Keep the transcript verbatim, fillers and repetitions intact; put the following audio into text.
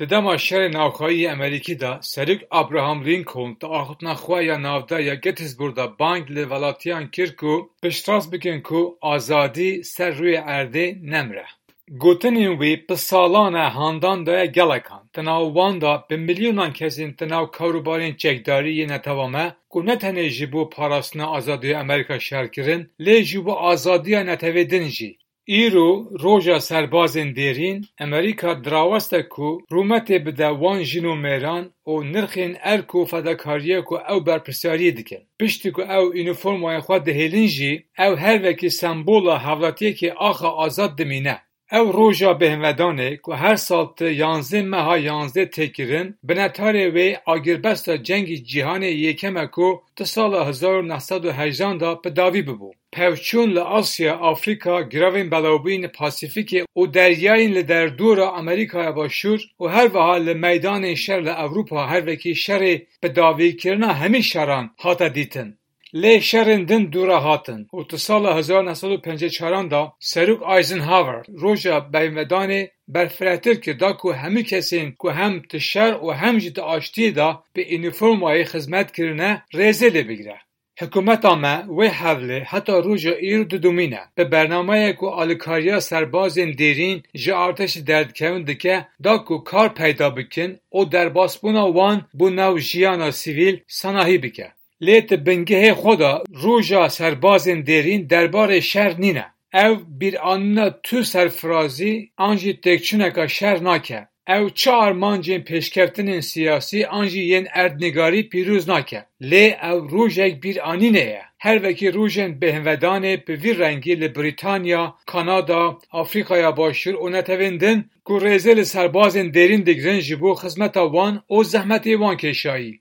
Di dema şerê navxweyî yê Amerîkî de Serok Abraham Lincoln di axiftina xwe ya navdar ya Gettysburg de bang li welatiyan kir ku piştrast bikin ku azadî ser rûyê erdê nemire. Gotinên wî bi salan e handan daye gelekan. Di nav wan de bi milyonan kesên di nav karûbarên çekdarî yê netewa me ku ne tenê ji bo parastina azadiya Amerîka şer kirin, lê ji bo azadiya netewê din jî. Îro roja serbazên dêrîn, Amerîka diraweste ku rûmetê bide wan jin û mêran û nirxên erk û fedakariyê ku ew berpirsyariyê dikin. Piştî ku ew unîformayên xwe dihêlin jî, ew her wekî sembola hevlatiyekê axa azad dimîne. Ew roja bêhnvedanê ku her sal di yanzdeh meha yanzdeh tê kirin, binetarê wê agirbesta Cengî Cîhanê Yekem e ku di sala hezar û neh sed û hejdan de bi dawî bibû. Pevçûn li Asya, Afrîka, giravên belawbûyî li Pasîfîkê û deryayên li derdora Amerîkaya Başûr û her wiha li meydanên şer li Ewropa her wekî şerê bi dawîkirina hemî şeran hate dîtin. Lê şerên din dû re hatin û di sala hezar neh sed û pêncî û çaran de Serok Eisenhower roja bêhnvedanê berfirehtir kir, da ku hemû kesên ku hem di şer û hem jî di aştiyê de bi unîformayê xizmet kirine rêzê lê bigire. Hikûmeta me wê hewlê heta roja îro didomîne. Bi bernameyek ku alîkariya serbazên dêrîn ji artêşê derdikevin dike, da ku kar peyda bikin û derbasbûna wan bo nav jiyana sivîl sanahî bike. Lê di bingehê xwe de roja serbazên dêrîn derbarê şer nîne. Ew bîranîna tu serfirazî an jî têkçûneka şer nake. Ew çi armancên pêşkeftinên siyasî an jî yên erdnîgarî pîroz nake. Lê ew rojek bîranînê ye. Her wekî rojên bêhnvedanê bi vî rengî li Brîtanya, Kanada, Afrîkaya Başûr û netewên din ku rêzê li serbazên dêrîn digirin ji bo xizmeta wan û zehmetê wan kêşayî.